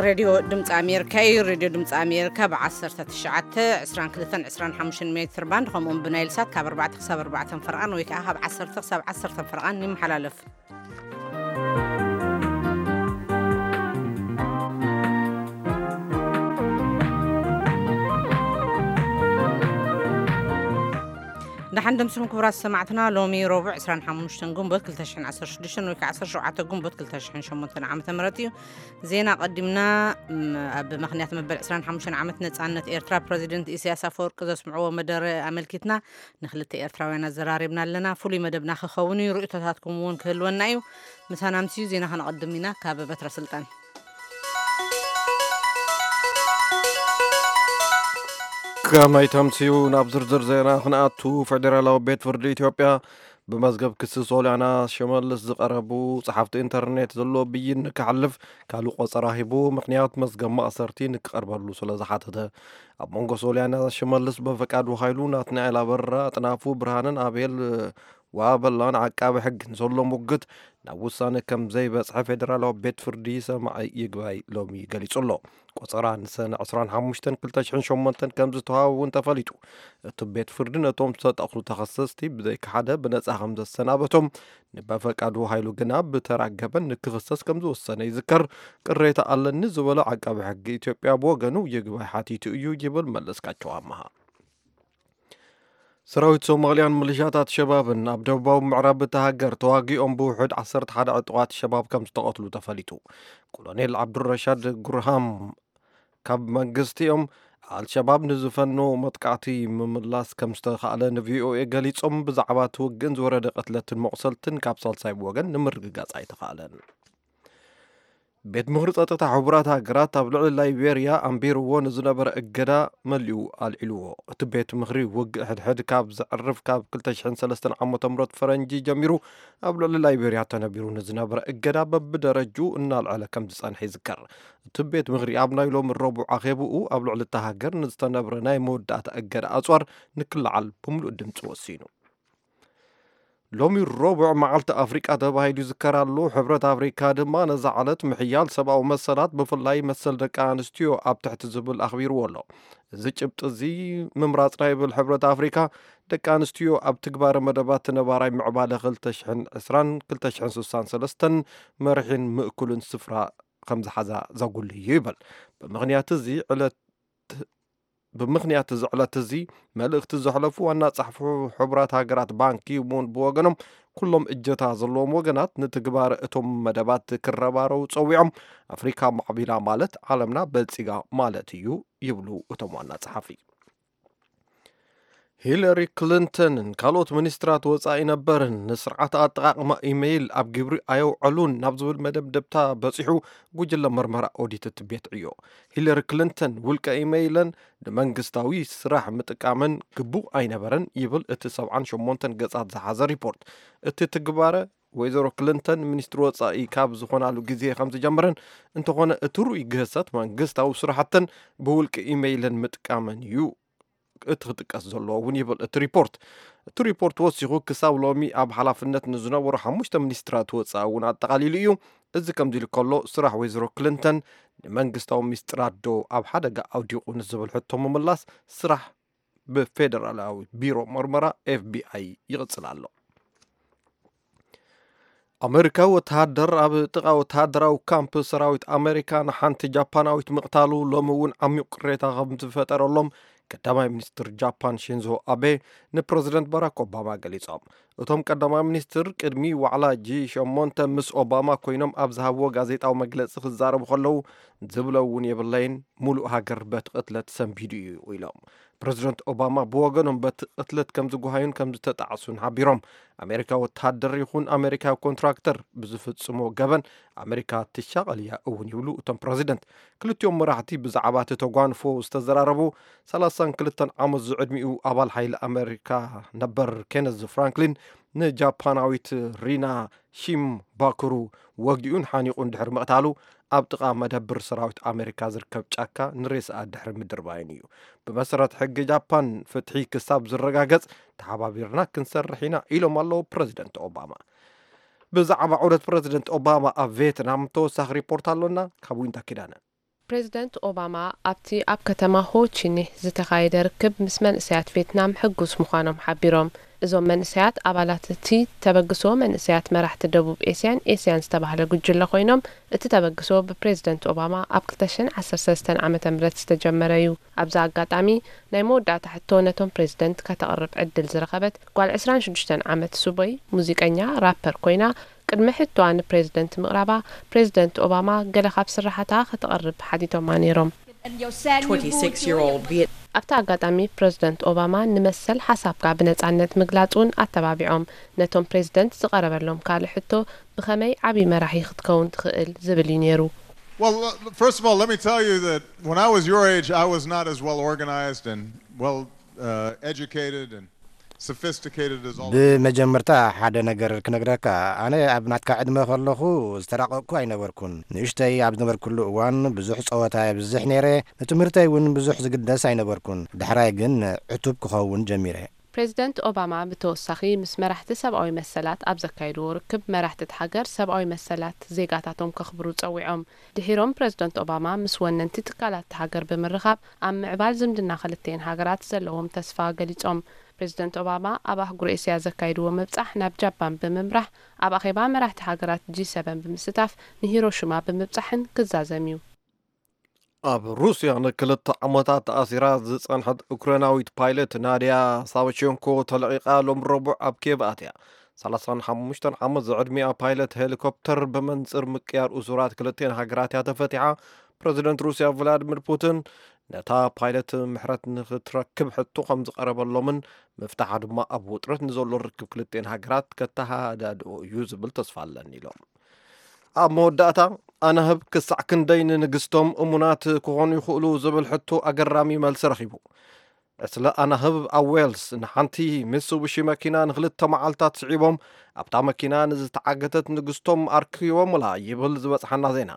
ሬድዮ ድምፂ ኣሜሪካ እዩ። ሬድዮ ድምፂ ኣሜሪካ ብ ዓሰርተ ትሽዓተ፣ ዕስራን ክልተን፣ ዕስራን ሓሙሽተን ሜትር ባንድ፣ ከምኡውን ብናይል ሳት ካብ ኣርባዕተ ክሳብ ኣርባዕተ ፈርቓን ወይ ከዓ ካብ ዓሰርተ ክሳብ ዓሰርተ ፈርቓን ይመሓላለፍ። ደሓን ደምስኹም ክቡራት ሰማዕትና። ሎሚ ረቡዕ ዕስራን ሓሙሽተን ግንቦት ክልተ ሽሕን ዓሰርተ ሽዱሽተን ወይ ከዓ ዓሰርተ ሸውዓተ ግንቦት ክልተ ሽሕን ሸሞንተን ዓመተ ምህረት እዩ። ዜና ቀዲምና፣ ም፣ ኣብ ምኽንያት መበል ዕስራን ሓሙሽተን ዓመት ነጻነት ኤርትራ ፕረዚደንት ኢሳያስ ኣፈወርቂ ዘስምዕዎ መደረ ኣመልኪትና ንክልተ ኤርትራውያን ኣዘራሪብና ኣለና። ፍሉይ መደብና ክኸውን እዩ። ርእይቶታትኩም እውን ክህልወና እዩ። ምሳና ኣምስዩ ዜና ከነቐድም ኢና። ካብ በትረ ስልጣን። ከመይ ተምስዩ? ናብ ዝርዝር ዜና ክንኣቱ፣ ፌደራላዊ ቤት ፍርዲ ኢትዮጵያ ብመዝገብ ክሲ ሶልያና ሽመልስ ዝቐረቡ ጸሓፍቲ ኢንተርኔት ዘሎ ብይን ንክሓልፍ ካልእ ቆጸራ ሂቡ፣ ምኽንያት መዝገብ ማእሰርቲ ንክቐርበሉ ስለ ዝሓተተ። ኣብ መንጎ ሶልያና ሽመልስ፣ በፈቃዱ ሃይሉ፣ ናትናኤል ኣበራ፣ ኣጥናፉ ብርሃንን ኣቤል ዋበላን ዓቃቢ ሕጊ ንዘሎ ሙግት ናብ ውሳነ ከም ዘይበጽሐ ፌደራላዊ ቤት ፍርዲ ሰማዒ ይግባይ ሎሚ ገሊጹ ኣሎ። ቆጸራ ንሰነ ዕስራን ሓሙሽተን ክልተ ሽሕን ሸሞንተን ከም ዝተዋህበ እውን ተፈሊጡ። እቲ ቤት ፍርዲ ነቶም ዝተጠቕሱ ተኸሰስቲ ብዘይካ ሓደ ብነጻ ከም ዘሰናበቶም፣ ንበፈቃዱ ሃይሉ ግና ብተራ ገበን ንክኽሰስ ከም ዝወሰነ ይዝከር። ቅሬታ ኣለኒ ዝበለ ዓቃቢ ሕጊ ኢትዮጵያ ብወገኑ ይግባይ ሓቲቱ እዩ ይብል መለስካቸው ኣመሃ። ሰራዊት ሶማልያን ሚሊሻታት ሸባብን ኣብ ደቡባዊ ምዕራብ እታ ሃገር ተዋጊኦም ብውሑድ ዓሰርተ ሓደ ዕጡቓት ሸባብ ከም ዝተቐትሉ ተፈሊጡ። ኮሎኔል ዓብዱረሻድ ጉርሃም ካብ መንግስቲኦም ኣልሸባብ ንዝፈኖ መጥቃዕቲ ምምላስ ከም ዝተኻእለ ንቪኦኤ ገሊጾም፣ ብዛዕባ እቲ ውግእን ዝወረደ ቅትለትን መቑሰልትን ካብ ሳልሳይ ወገን ንምርግጋጽ ኣይተኻእለን። ቤት ምኽሪ ጸጥታ ሕቡራት ሃገራት ኣብ ልዕሊ ላይቤርያ ኣንቢርዎ ንዝነበረ እገዳ መሊኡ ኣልዒልዎ። እቲ ቤት ምኽሪ ውግእ ሕድሕድ ካብ ዘዕርፍ ካብ ክልተ ሽሕን ሰለስተን ዓመተ ምህረት ፈረንጂ ጀሚሩ ኣብ ልዕሊ ላይቤርያ ተነቢሩ ንዝነበረ እገዳ በብደረጅኡ እናልዐለ ከም ዝጸንሐ ይዝከር። እቲ ቤት ምኽሪ ኣብ ናይ ሎሚ ረቡዕ ኣኼብኡ ኣብ ልዕሊ እታ ሃገር ንዝተነብረ ናይ መወዳእታ እገዳ ኣጽዋር ንክለዓል ብምሉእ ድምፂ ወሲኑ። ሎሚ ረቡዕ መዓልቲ ኣፍሪቃ ተባሂሉ ይዝከር ኣሎ። ሕብረት ኣፍሪካ ድማ ነዛ ዕለት ምሕያል ሰብኣዊ መሰላት፣ ብፍላይ መሰል ደቂ ኣንስትዮ ኣብ ትሕቲ ዝብል ኣኽቢርዎ ኣሎ። እዚ ጭብጢ እዚ ምምራጽና ይብል ሕብረት ኣፍሪካ፣ ደቂ ኣንስትዮ ኣብ ትግባረ መደባት ነባራይ ምዕባለ ክልተ ሽሕን ዕስራን ክልተ ሽሕን ስሳን ሰለስተን መርሒን ምእኩልን ስፍራ ከም ዝሓዛ ዘጉልህ እዩ ይብል። ብምኽንያት እዚ ዕለት ብምኽንያት እዚ ዕለት እዚ መልእኽቲ ዘሕለፉ ዋና ጸሓፊ ሕቡራት ሃገራት ባንኪ ሙን ብወገኖም፣ ኩሎም እጀታ ዘለዎም ወገናት ንትግባረ እቶም መደባት ክረባረቡ ጸዊዖም። ኣፍሪካ ማዕቢላ ማለት ዓለምና በልጺጋ ማለት እዩ ይብሉ እቶም ዋና ጸሓፊ። ሂለሪ ክሊንተንን ካልኦት ሚኒስትራት ወጻኢ ነበርን ንስርዓት ኣጠቓቕማ ኢሜይል ኣብ ግብሪ ኣየውዐሉን ናብ ዝብል መደምደምታ በጺሑ ጉጅለ መርመራ ኦዲት እቲ ቤት ዕዮ። ሂለሪ ክሊንተን ውልቀ ኢሜይለን ንመንግስታዊ ስራሕ ምጥቃመን ግቡእ ኣይነበረን ይብል እቲ ሰብዓን ሸሞንተን ገጻት ዝሓዘ ሪፖርት። እቲ ትግባረ ወይዘሮ ክሊንተን ሚኒስትሪ ወጻኢ ካብ ዝኾናሉ ግዜ ከም ዝጀመረን፣ እንተኾነ እቲ ርኡይ ግህሰት መንግስታዊ ስራሕተን ብውልቂ ኢሜይለን ምጥቃመን እዩ እቲ ክጥቀስ ዘለዎ እውን ይብል እቲ ሪፖርት። እቲ ሪፖርት ወሲኹ ክሳብ ሎሚ ኣብ ሓላፍነት ንዝነበሩ ሓሙሽተ ሚኒስትራት ወጻኢ እውን ኣጠቓሊሉ እዩ። እዚ ከምዚ ኢሉ ከሎ፣ ስራሕ ወይዘሮ ክሊንተን ንመንግስታዊ ሚስጥራት ዶ ኣብ ሓደጋ ኣውዲቑ ንዝብል ሕቶ ምምላስ ስራሕ ብፌደራላዊ ቢሮ መርመራ ኤፍ ቢ ኣይ ይቕጽል ኣሎ። ኣመሪካዊ ወተሃደር ኣብ ጥቓ ወተሃደራዊ ካምፕ ሰራዊት ኣመሪካ ንሓንቲ ጃፓናዊት ምቕታሉ ሎሚ እውን ዓሚቕ ቅሬታ ከም ዝፈጠረሎም ቀዳማይ ሚኒስትር ጃፓን ሺንዞ ኣቤ ንፕረዚደንት ባራክ ኦባማ ገሊጾም። እቶም ቀዳማይ ሚኒስትር ቅድሚ ዋዕላ ጂ ሸሞንተ ምስ ኦባማ ኮይኖም ኣብ ዝሃብዎ ጋዜጣዊ መግለጺ ክዛረቡ ከለዉ፣ ዝብሎ እውን የብለይን፣ ሙሉእ ሃገር በቲ ቅትለት ሰንቢዱ እዩ ኢሎም። ፕረዚደንት ኦባማ ብወገኖም በቲ ቅትለት ከም ዝጓሃዩን ከም ዝተጣዕሱን ሓቢሮም። ኣሜሪካ ወተሃደር ይኹን ኣሜሪካዊ ኮንትራክተር ብዝፍጽሞ ገበን ኣሜሪካ ትሻቐል እያ እውን ይብሉ እቶም ፕረዚደንት። ክልቲኦም መራሕቲ ብዛዕባ እቲ ተጓንፎ ዝተዘራረቡ ሰላሳን ክልተን ዓመት ዝዕድሚኡ ኣባል ሓይሊ ኣሜሪካ ነበር ኬነዝ ፍራንክሊን ንጃፓናዊት ሪና ሺምባኩሩ ወጊኡን ሓኒቑን ድሕሪ ምቕታሉ፣ ኣብ ጥቓ መደብር ሰራዊት ኣሜሪካ ዝርከብ ጫካ ንሬስኣ ድሕሪ ምድርባይን እዩ። ብመሰረት ሕጊ ጃፓን፣ ፍትሒ ክሳብ ዝረጋገጽ ተሓባቢርና ክንሰርሕ ኢና ኢሎም ኣለዉ ፕረዚደንት ኦባማ። ብዛዕባ ዑደት ፕረዚደንት ኦባማ ኣብ ቬትናም ተወሳኺ ሪፖርት ኣሎና ካብ ዊንታ ኪዳነ። ፕሬዝደንት ኦባማ ኣብቲ ኣብ ከተማ ሆ ቺ ሚንህ ዝተኻየደ ርክብ ምስ መንእሰያት ቬትናም ሕጉስ ምዃኖም ሓቢሮም። እዞም መንእሰያት ኣባላት እቲ ተበግሶ መንእሰያት መራሕቲ ደቡብ ኤስያን ኤስያን ዝተባህለ ጉጅለ ኮይኖም፣ እቲ ተበግሶ ብፕሬዝደንት ኦባማ ኣብ ክልተ ሽሕን ዓሰርተ ሰለስተን ዓመተ ምህረት ዝተጀመረ እዩ። ኣብዚ ኣጋጣሚ ናይ መወዳእታ ሕቶ ነቶም ፕሬዝደንት ከተቕርብ ዕድል ዝረኸበት ጓል ዕስራን ሽዱሽተን ዓመት ሱቦይ ሙዚቀኛ ራፐር ኮይና፣ ቅድሚ ሕቶኣ ንፕሬዝደንት ምቕራባ፣ ፕሬዝደንት ኦባማ ገለ ካብ ስራሓታ ከተቕርብ ሓቲቶማ ነይሮም። twenty-six-year-old Viet. ኣብቲ ኣጋጣሚ ፕሬዝደንት ኦባማ ንመሰል ሓሳብካ ብነጻነት ምግላጽ እውን ኣተባቢዖም። ነቶም ፕሬዝደንት ዝቐረበሎም ካልእ ሕቶ፣ ብኸመይ ዓቢ መራሒ ክትከውን ትኽእል ዝብል እዩ ነይሩ። Well, uh, first of all, let me tell you that when I was your age, I was not as well organized and well uh, educated and sophisticated as all of you. ብመጀመርታ ሓደ ነገር ክነግረካ፣ ኣነ ኣብ ናትካ ዕድመ ከለኹ ዝተራቐቕኩ ኣይነበርኩን። ንእሽተይ ኣብ ዝነበርኩሉ እዋን ብዙሕ ጸወታ የብዝሕ ነይረ፣ ንትምህርተይ እውን ብዙሕ ዝግደስ ኣይነበርኩን። ዳሕራይ ግን ዕቱብ ክኸውን ጀሚረ። ፕሬዝደንት ኦባማ ብተወሳኺ ምስ መራሕቲ ሰብኣዊ መሰላት ኣብ ዘካየድዎ ርክብ፣ መራሕቲ እቲ ሃገር ሰብኣዊ መሰላት ዜጋታቶም ከኽብሩ ጸዊዖም። ድሒሮም ፕሬዝደንት ኦባማ ምስ ወነንቲ ትካላት እታ ሃገር ብምርኻብ ኣብ ምዕባል ዝምድና ክልቲኤን ሃገራት ዘለዎም ተስፋ ገሊጾም። ፕሬዝደንት ኦባማ ኣብ ኣህጉር ኤስያ ዘካየድዎ ምብጻሕ ናብ ጃፓን ብምምራሕ ኣብ ኣኼባ መራሕቲ ሃገራት ጂ ሰቨን ብምስታፍ ንሂሮሺማ ብምብጻሕን ክዛዘም እዩ። ኣብ ሩስያ ንክልተ ዓመታት ተኣሲራ ዝጸንሐት ኡክራይናዊት ፓይለት ናድያ ሳቨቸንኮ ተለቒቓ ሎም ረቡዕ ኣብ ኬቭ ኣትያ። ሰላሳን ሓሙሽተን ዓመት ዝዕድሚኣ ፓይለት ሄሊኮፕተር ብመንጽር ምቅያር እሱራት ክልቲኤን ሃገራት እያ ተፈቲሓ። ፕረዚደንት ሩስያ ቭላድሚር ፑቲን ነታ ፓይለት ምሕረት ንክትረክብ ሕቶ ከም ዝቐረበሎምን ምፍታሓ ድማ ኣብ ውጥረት ንዘሎ ርክብ ክልቲኤን ሃገራት ከተሃዳድኦ እዩ ዝብል ተስፋ ኣለኒ ኢሎም። ኣብ መወዳእታ ኣናህብ ክሳዕ ክንደይ ንንግስቶም እሙናት ክኾኑ ይኽእሉ ዝብል ሕቶ ኣገራሚ መልሲ ረኺቡ። ዕስለ ኣናህብ ኣብ ዌልስ ንሓንቲ ሚትሱቢሺ መኪና ንኽልተ መዓልታት ስዒቦም ኣብታ መኪና ንዝተዓገተት ንግስቶም ኣርኪቦምላ ይብል ዝበጽሓና ዜና።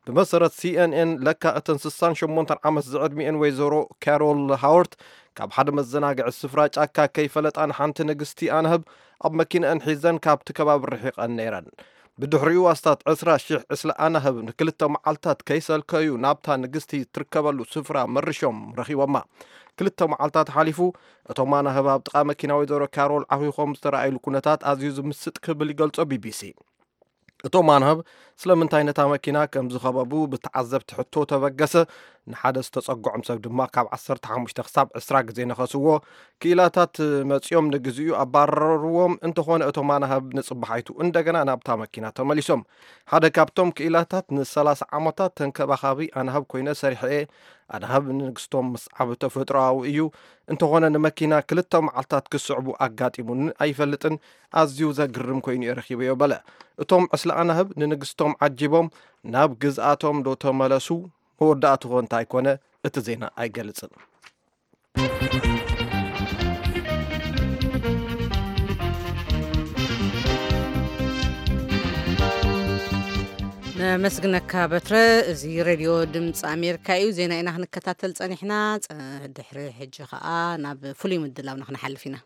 ብመሰረት ሲ ኤን ኤን ለካ እተን ስሳን ሸሞንተን ዓመት ዝዕድሚኤን ወይዘሮ ካሮል ሃወርት ካብ ሓደ መዘናግዒ ስፍራ ጫካ ከይፈለጣ ንሓንቲ ንግስቲ ኣናህብ ኣብ መኪንአን ሒዘን ካብቲ ከባቢ ርሒቐን ነይረን። ብድሕሪኡ ኣስታት ዕስራ ሺሕ ዕስለ ኣናህብ ንክልተ መዓልታት ከይሰልከዩ ናብታ ንግስቲ ትርከበሉ ስፍራ መሪሾም ረኺቦማ። ክልተ መዓልታት ሓሊፉ እቶም ኣናህብ ኣብ ጥቓ መኪና ወይዘሮ ካሮል ዓኺኾም ዝተረኣይሉ ኩነታት ኣዝዩ ዝምስጥ ክብል ይገልጾ ቢቢሲ። እቶም ኣናህብ ስለምንታይ ነታ መኪና ከም ዝኸበቡ ብተዓዘብቲ ሕቶ ተበገሰ። ንሓደ ዝተጸግዖም ሰብ ድማ ካብ ዓሰርተ ሓሙሽተ ክሳብ ዕስራ ግዜ ነኸስዎ። ክኢላታት መጺኦም ንግዚኡ ኣባረርዎም። እንተኾነ እቶም ኣናህብ ንጽባሓይቱ እንደገና ናብታ መኪና ተመሊሶም። ሓደ ካብቶም ክኢላታት ንሰላሳ ዓመታት ተንከባኻቢ ኣናህብ ኮይነ ሰሪሐ እየ። ኣናህብ ንንግስቶም ምስዓብ ተፈጥሮኣዊ እዩ። እንተኾነ ንመኪና ክልተ መዓልታት ክስዕቡ ኣጋጢሙኒ ኣይፈልጥን። ኣዝዩ ዘግርም ኮይኑ እየ ረኺበዮ በለ። እቶም ዕስለ ኣናህብ ንንግስቶም ዓጂቦም ናብ ግዝኣቶም ዶ ተመለሱ? መወዳእትኡ እንታይ ኮነ? እቲ ዜና ኣይገልጽን። ነመስግነካ በትረ። እዚ ሬድዮ ድምፂ ኣሜሪካ እዩ። ዜና ኢና ክንከታተል ፀኒሕና። ድሕሪ ሕጂ ከዓ ናብ ፍሉይ ምድላውና ክንሓልፍ ኢና።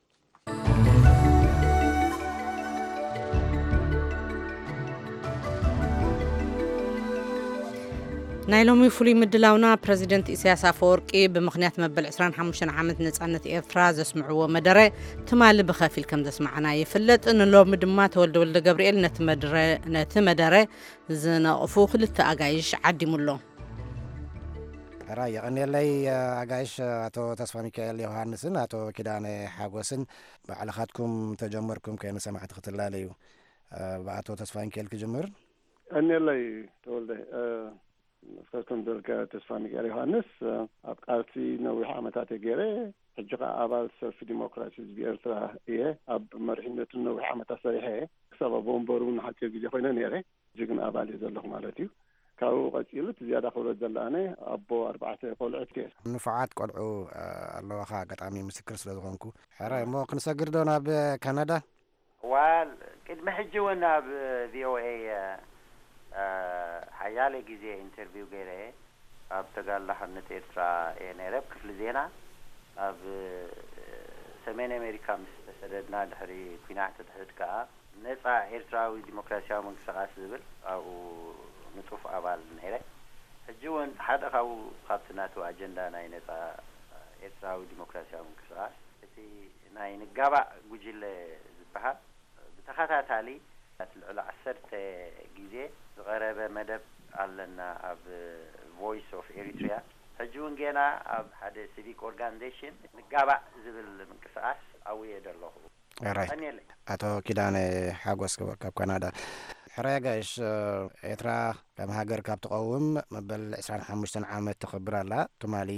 ናይ ሎሚ ፍሉይ ምድላውና ፕረዚደንት ኢሳያስ ኣፈወርቂ ብምኽንያት መበል ዕስራን ሓሙሽተን ዓመት ነጻነት ኤርትራ ዘስምዕዎ መደረ ትማሊ ብኸፊል ከም ዘስማዕና ይፍለጥ። ንሎሚ ድማ ተወልደ ወልደ ገብርኤል ነቲ መድረ ነቲ መደረ ዝነቕፉ ክልተ ኣጋይሽ ዓዲሙ ኣሎ። ሕራይ የቐንየለይ ኣጋይሽ ኣቶ ተስፋ ሚካኤል ዮሃንስን ኣቶ ኪዳነ ሓጎስን ባዕልኻትኩም ተጀመርኩም ከይኑ ሰማዕቲ ክትላለዩ ብኣቶ ተስፋ ሚካኤል ክጅምር። ቀንየለይ ተወልደ። እስከ ከም ዝበልካ ተስፋ ሚካኤል ዮሃንስ ኣብ ቃልሲ ነዊሕ ዓመታት እየ ገይረ። ሕጂ ከዓ ኣባል ሰልፊ ዲሞክራሲ ህዝቢ ኤርትራ እየ። ኣብ መሪሕነቱ ነዊሕ ዓመታት ሰሪሐ እየ። ክሳብ ኣብ ወንበሩ እውን ሓፂር ግዜ ኮይነ ነይረ። ሕጂ ግን ኣባል እየ ዘለኹ ማለት እዩ። ካብኡ ቀፂሉ እቲ ዝያዳ ክብሎ ዝደሊ ኣነ ኣቦ ኣርባዕተ ቆልዑት እየ። ንፉዓት ቆልዑ ኣለዋኻ ኣጋጣሚ ምስክር ስለ ዝኾንኩ። ሕራይ እሞ ክንሰግር ዶ ናብ ካናዳ? ዋል ቅድሚ ሕጂ እውን ኣብ ቪኦኤ ሓያለ ግዜ ኢንተርቪው ገይረ እየ። ኣብ ተጋድሎ ሓርነት ኤርትራ እየ ነይረ ኣብ ክፍሊ ዜና። ኣብ ሰሜን ኣሜሪካ ምስ ተሰደድና ድሕሪ ኲናት ድሕሪት ከኣ ነጻ ኤርትራዊ ዲሞክራሲያዊ ምንቅስቓስ ዝብል ኣብኡ ንጡፍ ኣባል ነይረ። ሕጂ እውን ሓደ ካብኡ ካብቲ ናቱ ኣጀንዳ ናይ ነጻ ኤርትራዊ ዲሞክራሲያዊ ምንቅስቓስ እቲ ናይ ንጋባእ ጉጅለ ዝበሃል ብተኸታታሊ ልዕሊ ዓሰርተ ግዜ ዝቐረበ መደብ ኣለና ኣብ ቮይስ ኦፍ ኤሪትሪያ። ሕጂ እውን ጌና ኣብ ሓደ ሲቪክ ኦርጋኒዜሽን ንጋባእ ዝብል ምንቅስቓስ ኣውየ ዘለኹ። ራይት። ቀኒየለይ። ኣቶ ኪዳነ ሓጎስ ካብ ካናዳ። ሕራይ ኣጋይሽ፣ ኤርትራ ከም ሃገር ካብ ትቐውም መበል ዕስራን ሓሙሽተን ዓመት ተኸብር ኣላ። ትማሊ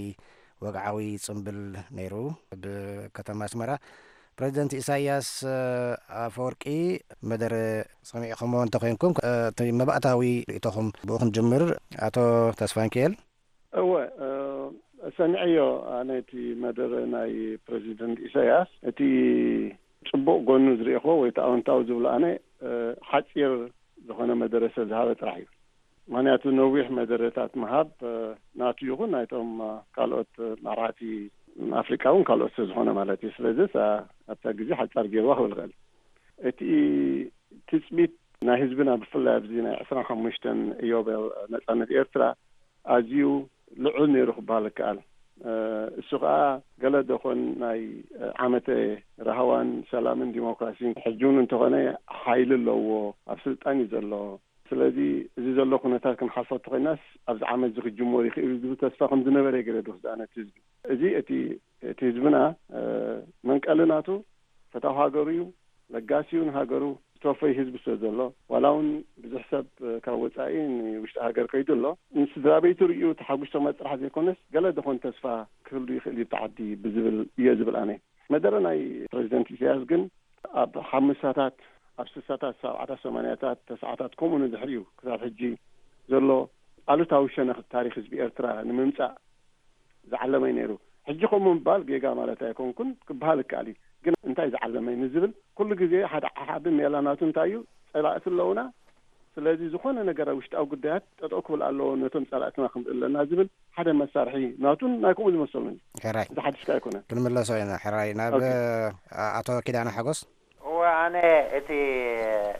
ወግዓዊ ጽምብል ነይሩ ብከተማ ኣስመራ። ፕረዚደንት ኢሳያስ ኣፈወርቂ መደረ ሰሚዕኹሞ እንተኾይንኩም፣ እቲ መባእታዊ ርእይቶኹም ብኡ ክንጅምር። ኣቶ ተስፋንኪኤል። እወ፣ እ፣ ሰሚዐዮ። ኣነ እቲ መደረ ናይ ፕረዚደንት ኢሳያስ፣ እቲ ጽቡቕ ጎኑ ዝርእኹዎ ወይ እቲ ኣወንታዊ ዝብሎ ኣነ፣ እ፣ ሓጺር ዝኾነ መደረ ስለ ዝሃበ ጥራሕ እዩ። ምኽንያቱ ነዊሕ መደረታት ምሃብ፣ እ፣ ናቱ ይኹን ናይቶም፣ እ፣ ካልኦት፣ እ፣ መራሕቲ ኣፍሪቃ እውን ካልኦት ስለ ዝኾነ ማለት እዩ። ስለዚስ፣ እ፣ ኣብታ ግዜ ሓጻር ገይርዋ ክብል እኽእል። እቲ ትጽቢት ናይ ህዝብና ብፍላይ ኣብዚ ናይ ዕስራን ሓሙሽተን ኢዮቤል ነጻነት ኤርትራ ኣዝዩ ልዑል ነይሩ ክበሃል ይከኣል። እ፣ እሱ ከኣ ገለ ደኾን ናይ፣ እ፣ ዓመተ ራህዋን ሰላምን ዲሞክራሲን ሕጂ እውን እንተኾነ ሓይሊ ኣለዎ፣ ኣብ ስልጣን እዩ ዘሎ። ስለዚ እዚ ዘሎ ኩነታት ክንሓልፎ እንተኾይናስ ኣብዚ ዓመት እዚ ክጅመር ይኽእል እዩ ዝብል ተስፋ ከም ዝነበረ ገለ ድወስድ ኣነ እቲ ህዝቢ። እዚ እቲ፣ እቲ ህዝብና፣ እ፣ መንቀሊ ናቱ ፈታዊ ሃገሩ እዩ፣ ለጋሲ እዩ ንሃገሩ፣ ዝተወፈዩ ህዝቢ ስለ ዘሎ፣ ዋላ እውን ብዙሕ ሰብ ካብ ወጻኢ ንውሽጢ ሃገር ከይዱ ኣሎ፣ ንስድራ ቤቱ ርእዩ ተሓጒሶም ጥራሕ ዘይኮነስ፣ ገለ ደኾን ተስፋ ክህሉ ይኽእል እዩ ኣብቲ ዓዲ ብዝብል እየ ዝብል ኣነ። መደረ ናይ ፕረዚደንት ኢሳያስ ግን ኣብ ሓምሳታት፣ ኣብ ስሳታት፣ ሰብዓታት፣ ሰማንያታት፣ ተስዓታት፣ ከምኡ ንድሕሪኡ ክሳብ ሕጂ ዘሎ ኣሉታዊ ሸነኽ ታሪኽ ህዝቢ ኤርትራ ንምምጻእ ዝዓለመ እዩ ነይሩ። ሕጂ ከምኡ ምባል ጌጋ ማለት ኣይኮንኩን፣ ክበሃል ይከኣል እዩ። ግን እንታይ ዝዓለመ እዩ ንዝብል፣ ኩሉ ግዜ ሓደ ዓሓቢ ሜላ ናቱ እንታይ እዩ፣ ጸላእቲ ኣለዉና፣ ስለዚ ዝኾነ ነገር ኣብ ውሽጣዊ ጉዳያት ጠጠው ክብል ኣለዎ፣ ነቶም ጸላእትና ክንርኢ ኣለና ዝብል ሓደ መሳርሒ ናቱን ናይ ከምኡ ዝመሰሉን እዩ። ሕራይ። እዚ ሓድሽ ከኣ ኣይኮነን። ክንምለሶ ኢና። ሕራይ። ናብ ኦኬ። ኣቶ ኪዳነ ሓጎስ። እወ፣ ኣነ እቲ፣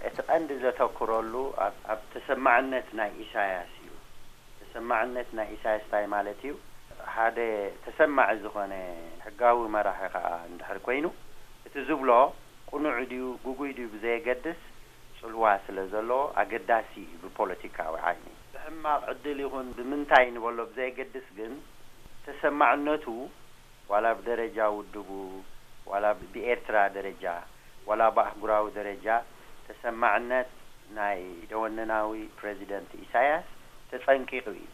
እቲ ቀንዲ ዘተኩረሉ ኣብ፣ ኣብ ተሰማዕነት ናይ ኢሳያስ እዩ። ተሰማዕነት ናይ ኢሳያስ እንታይ ማለት እዩ? ሓደ ተሰማዒ ዝኾነ ሕጋዊ መራሒ ከኣ እንድሕር ኮይኑ፣ እቲ ዝብሎ ቅኑዕ ድዩ፣ ግጉይ ድዩ ብዘየገድስ፣ ጽልዋ ስለ ዘለዎ ኣገዳሲ እዩ ብፖለቲካዊ ዓይኒ። ብሕማቕ ዕድል ይኹን ብምንታይ ንበሎ ብዘየገድስ ግን፣ ተሰማዕነቱ ዋላ ብደረጃ ውድቡ፣ ዋላ ብ-፣ ብኤርትራ ደረጃ፣ ዋላ ብኣህጉራዊ ደረጃ ተሰማዕነት ናይ ደወነናዊ ፕረዚደንት ኢሳያስ ተጸንቂቑ እዩ።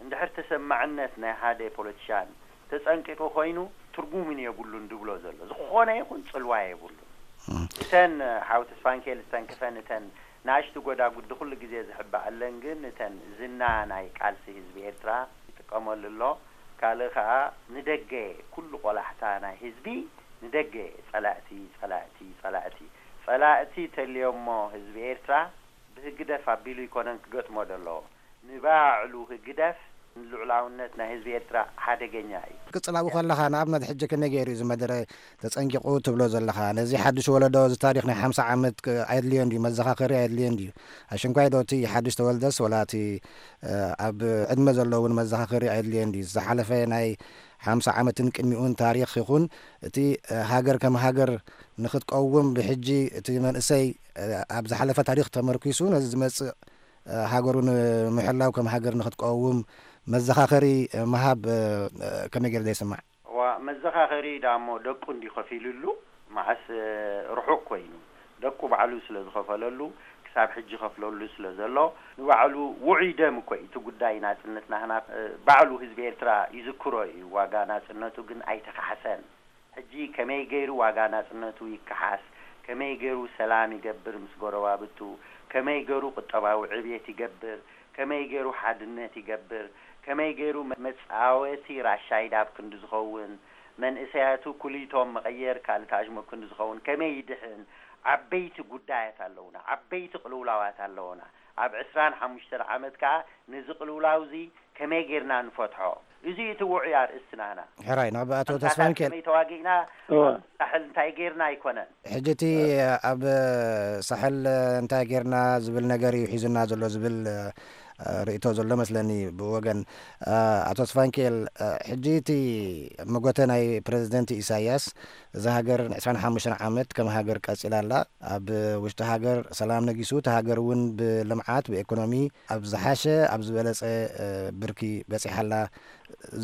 እንድሕር ተሰማዕነት ናይ ሓደ ፖለቲሻን ተጸንቂቑ ኮይኑ፣ ትርጉምን የብሉን ድብሎ ዘሎ። ዝኾነ ይኹን ጽልዋ የብሉን። እም። እተን፣ ሓው ተስፋንኬል ዝተንክፈን እተን ንኣሽቱ ጎዳጉዲ ኩሉ ግዜ ዝሕባኣለን፣ ግን እተን ዝና ናይ ቃልሲ ህዝቢ ኤርትራ ይጥቀመሉ ኣሎ። ካልእ ከኣ ንደገ ኩሉ ቆላሕታ ናይ ህዝቢ ንደገ ጸላእቲ፣ ጸላእቲ፣ ጸላእቲ። ጸላእቲ ተልዮሞ ህዝቢ ኤርትራ ብህግደፍ ኣቢሉ ይኮነን ክገጥሞ ደለዎ። ንባዕሉ ህግደፍ ንልዑላውነት ናይ ህዝቢ ኤርትራ ሓደገኛ እዩ። ቅጽል ኣብኡ ከለኻ ንኣብነት ሕጂ ከመይ ገይሩ እዩ እዚ መደረ ተጸንቂቑ ትብሎ ዘለኻ? ነዚ ሓድሽ ወለዶ እዚ ታሪኽ ናይ ሓምሳ ዓመት ክ-፣ ኣየድልዮን ድዩ? መዘኻኸሪ ኣየድልዮን ድዩ? ኣሽንኳይ ዶ እቲ ሓድሽ ተወልደስ ወላ እቲ፣ እ፣ ኣብ ዕድመ ዘሎ እውን መዘኻኸሪ ኣየድልዮን ድዩ? ዝሓለፈ ናይ ሓምሳ ዓመትን ቅድሚኡን ታሪኽ ይኹን እቲ፣ እ፣ ሃገር ከም ሃገር ንኽትቀውም ብሕጂ እቲ መንእሰይ፣ እ፣ ኣብ ዝሓለፈ ታሪኽ ተመርኪሱ ነዚ ዝመጽእ፣ እ፣ ሃገሩ ንምሕላው ከም ሃገር ንኽትቀውም መዘኻኸሪ፣ እ፣ ምሃብ፣ እ፣ እ፣ ከመይ ገይሩ ዘይስማዕ? ዋ፣ መዘኻኸሪ ዳሞ ደቁ እንዲ ከፊሉሉ፣ መዓስ፣ እ፣ ርሑቕ ኮይኑ፣ ደቁ ባዕሉ ስለ ዝኸፈለሉ፣ ክሳብ ሕጂ ይኸፍለሉ ስለ ዘሎ፣ ንባዕሉ ውዑይ ደም እኮ እዩ። እቲ ጉዳይ ናጽነት ናህና፣ እ፣ ባዕሉ ህዝቢ ኤርትራ ይዝክሮ እዩ። ዋጋ ናጽነቱ ግን ኣይተኻሕሰን። ሕጂ ከመይ ገይሩ ዋጋ ናጽነቱ ይከሓስ፣ ከመይ ገይሩ ሰላም ይገብር ምስ ጎረባብቱ፣ ከመይ ገይሩ ቁጠባዊ ዕብየት ይገብር፣ ከመይ ገይሩ ሓድነት ይገብር፣ ከመይ ገይሩ መ-፣ መጻወቲ ራሻይዳ ኣብ ክንዲ ዝኸውን፣ መንእሰያቱ ኩሊቶም መቐየር ካልእ ታሽሞ ኣብ ክንዲ ዝኸውን ከመይ ይድሕን፣ ዓበይቲ ጉዳያት ኣለዉና፣ ዓበይቲ ቅልውላዋት ኣለዉና። ኣብ ዕስራን ሓሙሽተን ዓመት ከኣ ነዚ ቅልውላው እዚ ከመይ ጌርና ንፈትሖ? እዚ እቲ ውዑይ ኣርእስቲ ናህና። ሕራይ፣ ናብ ኣቶ ኣንታታት ተስፋሚካኤል። ከመይ ተዋጊእና፣ እወ። ኣብ ሳሕል እንታይ ጌርና ኣይኮነን። ሕጂ እቲ ኣብ ሳሕል እንታይ ጌርና ዝብል ነገር እዩ ሒዙና ዘሎ ዝብል ርእቶ ዘሎ መስለኒ ብወገን ኣቶ ስፋንኬል። ሕጂ እቲ መጎተ ናይ ፕረዚደንት ኢሳያስ፣ እዛ ሃገር ን25 ዓመት ከም ሃገር ቀጺላ ኣላ። ኣብ ውሽጢ ሃገር ሰላም ነጊሱ፣ እቲ ሃገር እውን ብልምዓት፣ ብኤኮኖሚ ኣብ ዝሓሸ፣ ኣብ ዝበለጸ ብርኪ በጺሓ ኣላ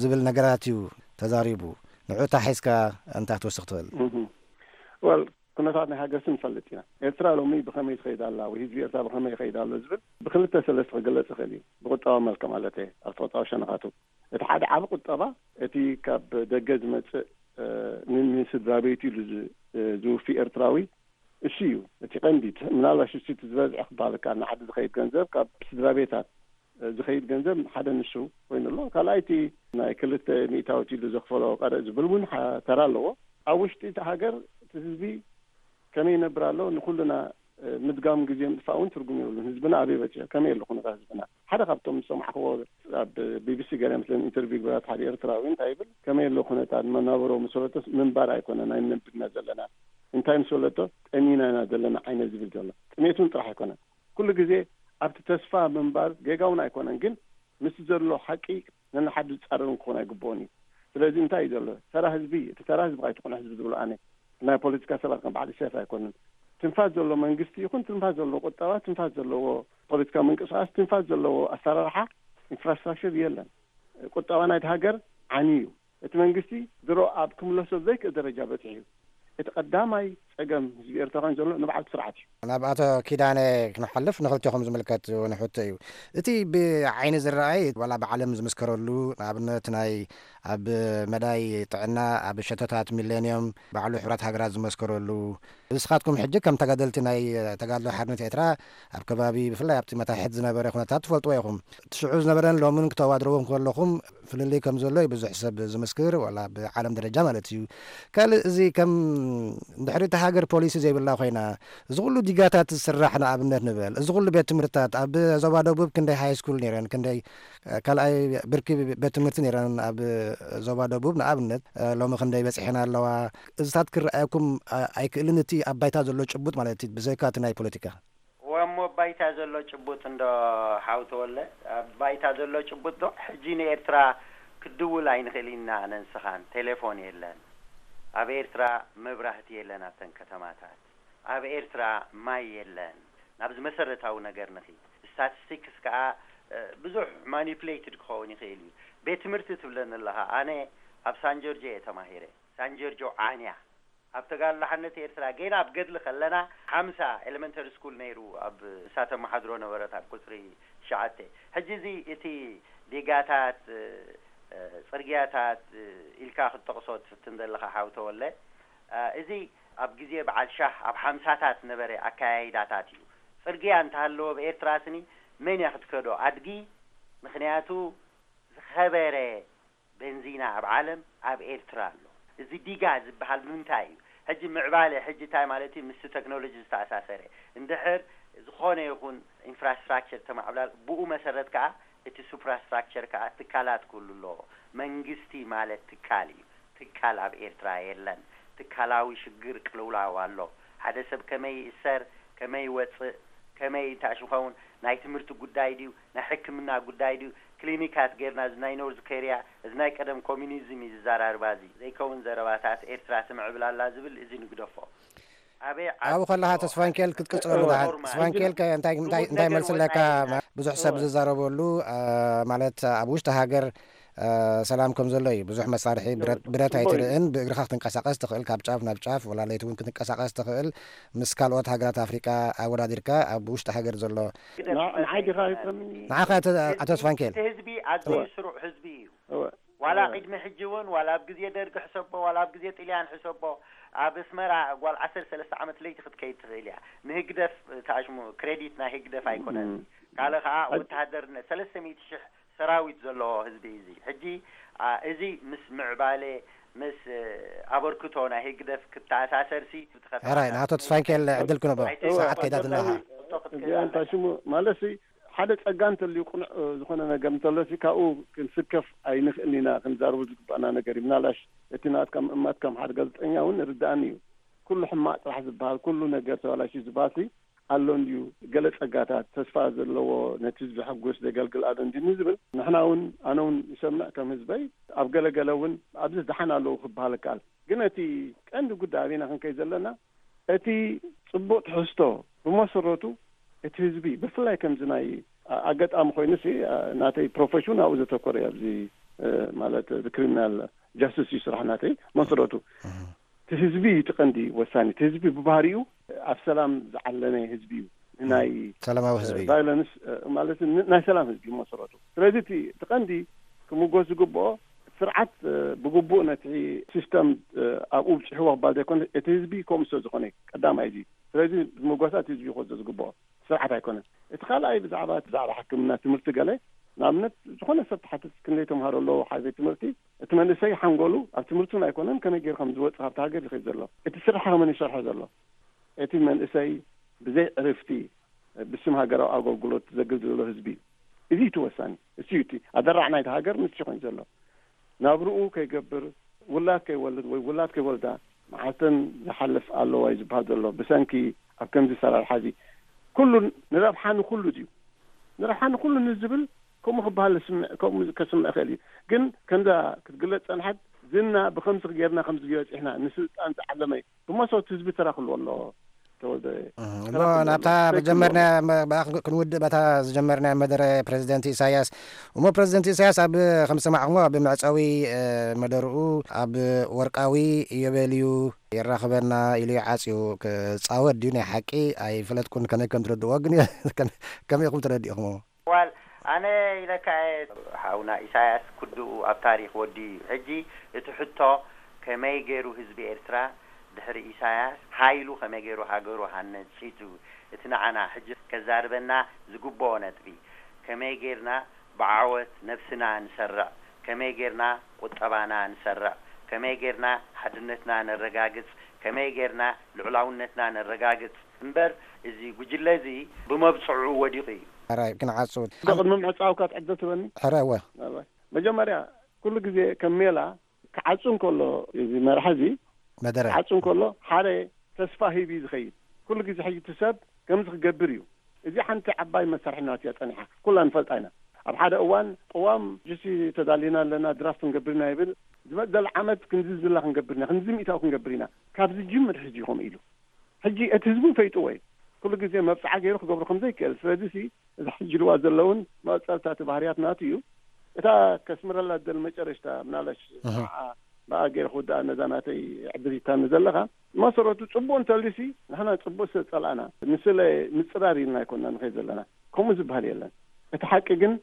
ዝብል ነገራት እዩ ተዛሪቡ። ንዑ እታ ሒዝካ እንታይ ክትወስኽ ትኽእል? ወል ኩነታት ናይ ሃገርሲ ንፈልጥ ኢና። ኤርትራ ሎሚ ብኸመይ ትኸይድ ኣላ ወይ ህዝቢ ኤርትራ ብኸመይ ይኸይድ ኣሎ ዝብል ብክልተ ሰለስተ ክግለጽ ይኽእል እዩ። ብቁጠባ መልክዕ ማለት እየ፣ ኣብ ቁጠባ ሸነኻቱ። እቲ ሓደ ዓቢ ቁጠባ እቲ ካብ ደገ ዝመጽእ ንስድራ ቤቱ ኢሉ ዝውፊ ኤርትራዊ እሱ እዩ እቲ ቀንዲ። ምናልባሽ እሱ እቲ ዝበዝዐ ክበሃል ከኣ ንዓዲ ዝኸይድ ገንዘብ ካብ ስድራ ቤታት ዝኸይድ ገንዘብ ሓደ ንሱ ኮይኑ ኣሎ። ካልኣይቲ ናይ ክልተ ሚእታዊት ኢሉ ዘኽፈሎ ቀረጥ ዝብል እውን ተራ ኣለዎ። ኣብ ውሽጢ እቲ ሃገር እቲ ህዝቢ ከመይ ይነብር ኣሎ ንኩልና ምድጋም ግዜ ምጥፋእ እውን ትርጉም የብሉን። ህዝብና ኣበይ በፂሑ? ከመይ ኣሎ ኩነታት ህዝብና? ሓደ ካብቶም ዝሰማዕክዎ ኣብ ቢቢሲ ገለ ምስለን ኢንተርቪው ግበራት ሓደ ኤርትራዊ እንታይ ይብል? ከመይ ኣሎ ኩነታት መናብሮ ምስ በለቶስ ምንባር ኣይኮነን ኣይንነብድና ዘለና። እንታይ ምስ በለቶ ጠሚና ኢና ዘለና ዓይነት ዝብል ዘሎ። ጥሜት እውን ጥራሕ ኣይኮነን። ኩሉ ግዜ ኣብቲ ተስፋ ምንባር ጌጋ እውን ኣይኮነን፣ ግን ምስ ዘሎ ሓቂ ነንሓዱ ዝጻረር እውን ክኾን ኣይግብኦን እዩ። ስለዚ እንታይ እዩ ዘሎ? ተራ ህዝቢ፣ እቲ ተራ ህዝቢ ኣይትኹን ህዝቢ ዝብሎ ኣነ። ናይ ፖለቲካ ሰባት ከም በዓል ኢሳያስ ኣይኮንን። ትንፋስ ዘለዎ መንግስቲ ይኹን ትንፋስ ዘለዎ ቁጠባ፣ ትንፋስ ዘለዎ ፖለቲካዊ ምንቅስቃስ፣ ትንፋስ ዘለዎ ኣሰራርሓ ኢንፍራስትራክቸር የለን። ቁጠባ ናይቲ ሃገር ዓንዩ እዩ። እቲ መንግስቲ ድሮ ኣብ ክምለሶ ዘይክእል ደረጃ በፂሑ እዩ። እቲ ቀዳማይ ፀገም ህዝቢ ኤርትራ ኮይኑ ዘሎ ንባዕሉ ስርዓት እዩ። ናብ ኣቶ ኪዳነ ክንሓልፍ ንክልቴኹም ዝምልከት እውን ሕቶ እዩ። እቲ ብዓይኒ ዝረኣይ ዋላ ብዓለም ዝምስከረሉ ንኣብነት ናይ ኣብ መዳይ ጥዕና ኣብ ሸቶታት ሚሌንዮም ባዕሉ ሕቡራት ሃገራት ዝመስከረሉ ንስኻትኩም ሕጂ ከም ተጋደልቲ ናይ ተጋድሎ ሓርነት ኤርትራ ኣብ ከባቢ ብፍላይ ኣብቲ መታሕት ዝነበረ ኩነታት ትፈልጥዎ ኢኹም። እቲ ሽዑ ዝነበረን ሎምን ክተዋድርዎም ከለኹም ፍልልይ ከም ዘሎ እዩ ብዙሕ ሰብ ዝምስክር፣ ዋላ ብዓለም ደረጃ ማለት እዩ። ካልእ እዚ ከም እንድሕሪ እታ ሃገር ፖሊሲ ዘይብላ ኮይና፣ እዚ ኩሉ ዲጋታት ዝስራሕ ንኣብነት ንበል፣ እዚ ኩሉ ቤት ትምህርትታት ኣብ ዞባ ደቡብ ክንደይ ሃይ ስኩል ነይረን፣ ክንደይ ካልኣይ ብርኪ ቤት ትምህርቲ ነይረን ኣብ ዞባ ደቡብ ንኣብነት፣ ሎሚ ክንደይ በፂሐን ኣለዋ? እዚታት ክረኣየኩም ኣይክእልን፣ እቲ ኣብ ባይታ ዘሎ ጭቡጥ ማለት እዩ፣ ብዘይካ እቲ ናይ ፖለቲካ። እዋሞ ባይታ ዘሎ ጭቡጥ እንዶ ሓው ተወለ፣ ኣብ ባይታ ዘሎ ጭቡጥ ዶ ሕጂ ንኤርትራ ክድውል ኣይንኽእል ኢና ኣነን ስኻን፣ ቴሌፎን የለን። ኣብ ኤርትራ መብራህቲ የለን ኣብተን ከተማታት። ኣብ ኤርትራ ማይ የለን። ናብዚ መሰረታዊ ነገር ንኺድ። ስታቲስቲክስ ከኣ ብዙሕ ማኒፕሌትድ ክኸውን ይኽእል እዩ። ቤት ትምህርቲ ትብለኒ ኣለኻ። ኣነ ኣብ ሳንጆርጆ እየ ተማሂረ። ሳንጆርጆ ዓንያ ኣብ ተጋድሎ ሓርነት ኤርትራ ጌና ኣብ ገድሊ ከለና ሓምሳ ኤሌመንተሪ ስኩል ነይሩ ኣብ እሳተ ማሓድሮ ነበረት ኣብ ቁፅሪ ትሽዓተ። ሕጂ እዚ እቲ ዲጋታት፣ ፅርግያታት ኢልካ ክትጠቕሶ ትፍትን ዘለኻ ሓው ተወለ፣ እዚ ኣብ ግዜ በዓል ሻህ ኣብ ሓምሳታት ነበረ ኣከያይዳታት እዩ። ፅርግያ እንተሃለወ ብኤርትራ ስኒ መን እያ ክትከዶ ኣድጊ? ምኽንያቱ ዝኸበረ ቤንዚና ኣብ ዓለም ኣብ ኤርትራ ኣሎ። እዚ ዲጋ ዝበሃል ብምንታይ እዩ? ሕጂ ምዕባለ ሕጂ እንታይ ማለት እዩ? ምስቲ ቴክኖሎጂ ዝተኣሳሰረ። እንድሕር ዝኾነ ይኹን ኢንፍራስትራክቸር ተማዕብላል ብኡ መሰረት ከኣ እቲ ሱፕራስትራክቸር ከኣ ትካላት ክህሉ ኣለዎ። መንግስቲ ማለት ትካል እዩ። ትካል ኣብ ኤርትራ የለን። ትካላዊ ሽግር ቅልውላው ኣሎ። ሓደ ሰብ ከመይ ይእሰር፣ ከመይ ይወፅእ፣ ከመይ እንታይ ሽም ኸውን፣ ናይ ትምህርቲ ጉዳይ ድዩ፣ ናይ ሕክምና ጉዳይ ድዩ፣ ክሊኒካት ጌርና እዚ ናይ ኖርዝ ኮርያ እዚ ናይ ቀደም ኮሚኒዝም እዩ ዝዘራርባ እዚ ዘይከውን ዘረባታት ኤርትራ ትምዕብል ኣላ ዝብል እዚ ንግደፎ። ኣበይ ዓዲ ኣብኡ ከለኻ እሞ ተስፋንኬል ክትቅጽለሉ ደሓን። ኖርማል። ተስፋንኬል ከ እንታይ እንታይ እንታይ መልሲ ኣለካ? ብዙሕ ሰብ ዝዛረበሉ ማለት ኣብ ውሽጢ ሃገር ሰላም ከም ዘሎ እዩ። ብዙሕ መሳርሒ ብረት ብረት ኣይትርእን። ብእግርኻ ክትንቀሳቐስ ትኽእል፣ ካብ ጫፍ ናብ ጫፍ፣ ወላ ለይቲ እውን ክትንቀሳቐስ ትኽእል። ምስ ካልኦት ሃገራት ኣፍሪቃ ኣወዳዲርካ ኣብ ውሽጢ ሃገር ዘሎ ንዓይ ዲኻ ይጥረምኒ? ንዓኻ ኣቶ ኣቶ ተስፋንኬል። እቲ ህዝቢ ኣዝዩ ስሩዕ ህዝቢ እዩ። እወ። ዋላ እወ። ቅድሚ ሕጂ እውን ዋላ ኣብ ግዜ ደርጊ ሕሰቦ ዋላ ኣብ ግዜ ጥልያን ሕሰቦ ኣብ ኣስመራ ጓል ዓሰርተ ሰለስተ ዓመት ለይቲ ክትከይድ ትኽእል እያ። ንህግደፍ ተኣሽሙ ክሬዲት ናይ ህግደፍ ኣይኮነን። እም። ካልእ ከዓ ኣይ- ወተሃደርነት ሰለስተ ሚእቲ ሽሕ ሰራዊት ዘለዎ ህዝቢ እዩ እዚ። ሕጂ አ፣ እዚ ምስ ምዕባለ ምስ እ፣ ኣበርክቶ ናይ ህግደፍ ክተኣሳሰርሲ ብትኸፍእ ሕራይ ንኣቶ ተስፋንኬል ዕድል ክንቦ ኣይተ- ሰዓት ከይዳትና እዚኣ እንታይ ሽሙ ማለት ሓደ ጸጋ እንተልዩ ቅኑዕ ዝኾነ ነገር እንተሎሲ ካብኡ ክንስከፍ ኣይንኽእልን ኢና ክንዛረቡ ዝግባእና ነገር እዩ። ምናልባሽ እቲ ናትካ ምእማት ከም ሓደ ጋዜጠኛ እውን ርድኣኒ እዩ። ኩሉ ሕማቕ ጥራሕ ዝበሃል ኩሉ ነገር ተባላሽዩ ዝበሃልሲ ኣሎ እንድዩ፣ ገለ ጸጋታት ተስፋ ዘለዎ ነቲ ህዝቢ ዘሐጉስ ዘገልግል ኣሎ እንድዩ ንዝብል፣ ንሕና እውን፣ ኣነ እውን ይሰምዕ ከም ህዝበይ፣ ኣብ ገለ ገለ እውን ኣብዚ ደሓን ኣለዉ ክበሃል ይከኣል። ግን እቲ ቀንዲ ጉዳይ ኣበይና ክንከይድ ዘለና፣ እቲ ጽቡቕ ትሕዝቶ ብመሰረቱ እቲ ህዝቢ ብፍላይ ከምዚ ናይ ኣ-፣ ኣጋጣሚ ኮይኑሲ፣ ኣ፣ ናተይ ፕሮፌሽን ኣብኡ ዘተኮረ እዩ። ኣብዚ፣ እ፣ ማለት እዚ ክሪሚናል ጃስቲስ እዩ ስራሕ ናተይ መሰረቱ። እቲ ህዝቢ እዩ እቲ ቀንዲ ወሳኒ። እቲ ህዝቢ ብባህሪኡ ኣብ ሰላም ዝዓለመ ህዝቢ እዩ። ንናይ ሰላማዊ ህዝቢ እዩ። ቫዮለንስ፣ እ፣ ማለት ን-፣ ናይ ሰላም ህዝቢ እዩ መሰረቱ። ስለዚ እቲ፣ እቲ ቀንዲ ክምጎስ ዝግብኦ ስርዓት፣ እ፣ ብግቡእ ነቲ ሲስተም፣ እ፣ ኣብኡ ብፅሕዎ ክባል ዘይኮነ እቲ ህዝቢ ከምኡ ስለ ዝኾነ እዩ ቀዳማይ እዚ። ስለዚ ዝምጎሳ እቲ ህዝቢ ክወስዶ ዝግብኦ ስርዓት ኣይኮነን። እቲ ካልኣይ ብዛዕባ፣ ብዛዕባ ሕክምና ትምህርቲ ገለ ንኣብነት ዝኾነ ሰብ ተሓትት ክንደይ ተምሃሮ ኣለዎ ሓደ ቤት ትምህርቲ፣ እቲ መንእሰይ ሓንጎሉ ኣብ ትምህርቲ እውን ኣይኮነን፣ ከመይ ገይሩ ከም ዝወፅእ ካብቲ ሃገር ዝኸይድ ዘሎ፣ እቲ ስራሕ ከመን ይሰርሖ ዘሎ፣ እቲ መንእሰይ ብዘይ ዕርፍቲ ብስም ሃገራዊ ኣገልግሎት ዘገልግል ዘሎ ህዝቢ እዩ። እዚ እዩ እቲ ወሳኒ። እሱ እዩ እቲ ኣደራዕ ናይቲ ሃገር፣ ንሱ ኮይኑ ዘሎ። ናብርኡ ከይገብር፣ ውላድ ከይወልድ ወይ ውላድ ከይወልዳ መዓልተን ዝሓልፍ ኣለዋ እዩ ዝበሃል ዘሎ። ብሰንኪ ኣብ ከምዚ ሰራርሓ እዚ ኩሉ ንረብሓ ንኩሉ ድዩ? ንረብሓ ንኩሉ ንዝብል ከምኡ ክበሃል ዝስምዕ፣ ከምኡ ከስምዕ ይኽእል እዩ። ግን ከምዛ ክትግለጽ ጸንሐት ዝና ብኸምዚ ጌርና ከምዚ በጺሕና ንስልጣን ዝዓለመ እዩ። ብመሰረቱ ህዝቢ ተራ ክህልዎ ኣለዎ። ተወልደ። እህ፣ እሞ ተራ ክህልዎ ናብታ ኣለዎ። መጀመርና መ-፣ ብኣ ክን-፣ ክንውድእ በታ ዝጀመርና መደረ ፕሬዚደንት ኢሳያስ። እሞ ፕሬዚደንት ኢሳያስ ኣብ፣ ከም ዝሰማዕኹሞ ኣብ መዕጸዊ፣ እ፣ መደርኡ ኣብ ወርቃዊ ኢዮቤልዩ የራኽበና ኢሉ ይዓጽዩ። ክጻወት ድዩ ናይ ሓቂ ኣይፈለጥኩን፣ ከመይ ከም ትረድእዎ ግን ከመይ፣ ከመይ ኢኹም ተረዲእኹሞ? ዋል፣ ኣነ ኢለካ እየ፣ ሓውና ኢሳያስ ክድኡ ኣብ ታሪኽ ወዲ እዩ። ሕጂ እቲ ሕቶ ከመይ ገይሩ ህዝቢ ኤርትራ ድሕሪ ኢሳያስ ሓይሉ ከመይ ገይሩ ሃገሩ ሃነጺቱ፣ እቲ ንዓና ሕጂ ከዛርበና ዝግብኦ ነጥቢ፣ ከመይ ገይርና ብዓወት ነብስና ንሰርዕ፣ ከመይ ገይርና ቁጠባና ንሰርዕ፣ ከመይ ገይርና ሓድነትና ነረጋግጽ፣ ከመይ ገይርና ልዑላውነትና ነረጋግጽ እምበር፣ እዚ ጉጅለ እዚ ብመብጽዑ ወዲቑ እዩ። ሕራይ ክንዓጹ። ቅድሚ ምዕጻውካ ትዕድል ትበኒ? ሕራይ፣ እወ። ሕራይ። መጀመርያ፣ ኩሉ ግዜ ከም ሜላ ክዓጹ እንከሎ፣ እዚ መርሓ እዚ መደረ። ክዓጹ እንከሎ፣ ሓደ ተስፋ ሂብ እዩ ዝኸይድ። ኩሉ ግዜ ሕጂ እቲ ሰብ ከምዚ ክገብር እዩ። እዚ ሓንቲ ዓባይ መሳርሒ ናት እያ ጸኒሓ። ኩላ ንፈልጣ ኢና። ኣብ ሓደ እዋን ቅዋም ጅሲ ተዳሊና ኣለና፣ ድራፍት ክንገብር ኢና ይብል። ዝመጽእ ዓመት ክንዚ ዝላ ክንገብር ኢና፣ ክንዚ ሚእታዊ ክንገብር ኢና። ካብ ዝጅምር ሕጂ ከምኡ ኢሉ። ሕጂ እቲ ህዝቢ ፈይጥዎ እዩ። ኩሉ ግዜ መብጽዓ ገይሩ ክገብሮ ከም ዘይክእል። ስለዚ ሲ፣ እዚ ሕጂ ልዋ ዘለውን መቐጸልታ እቲ ባህርያት ናቱ እዩ። እታ ከስምረላ ዝደሊ መጨረሽታ፣ ምናልባሽ እህ። ንዓ ብኣ ገይረ ክውድኣ ነዛ ናተይ ዕድል ሂብካኒ ዘለኻ፣ መሰረቱ ጽቡቕ እንተልዩሲ፣ ንሕና ጽቡቕ ስለ ጸላእና፣ ንስለ ምጽራር ኢልና ኣይኮንና ንኸይድ ዘለና። ከምኡ ዝበሃል የለን። እቲ ሓቂ ግን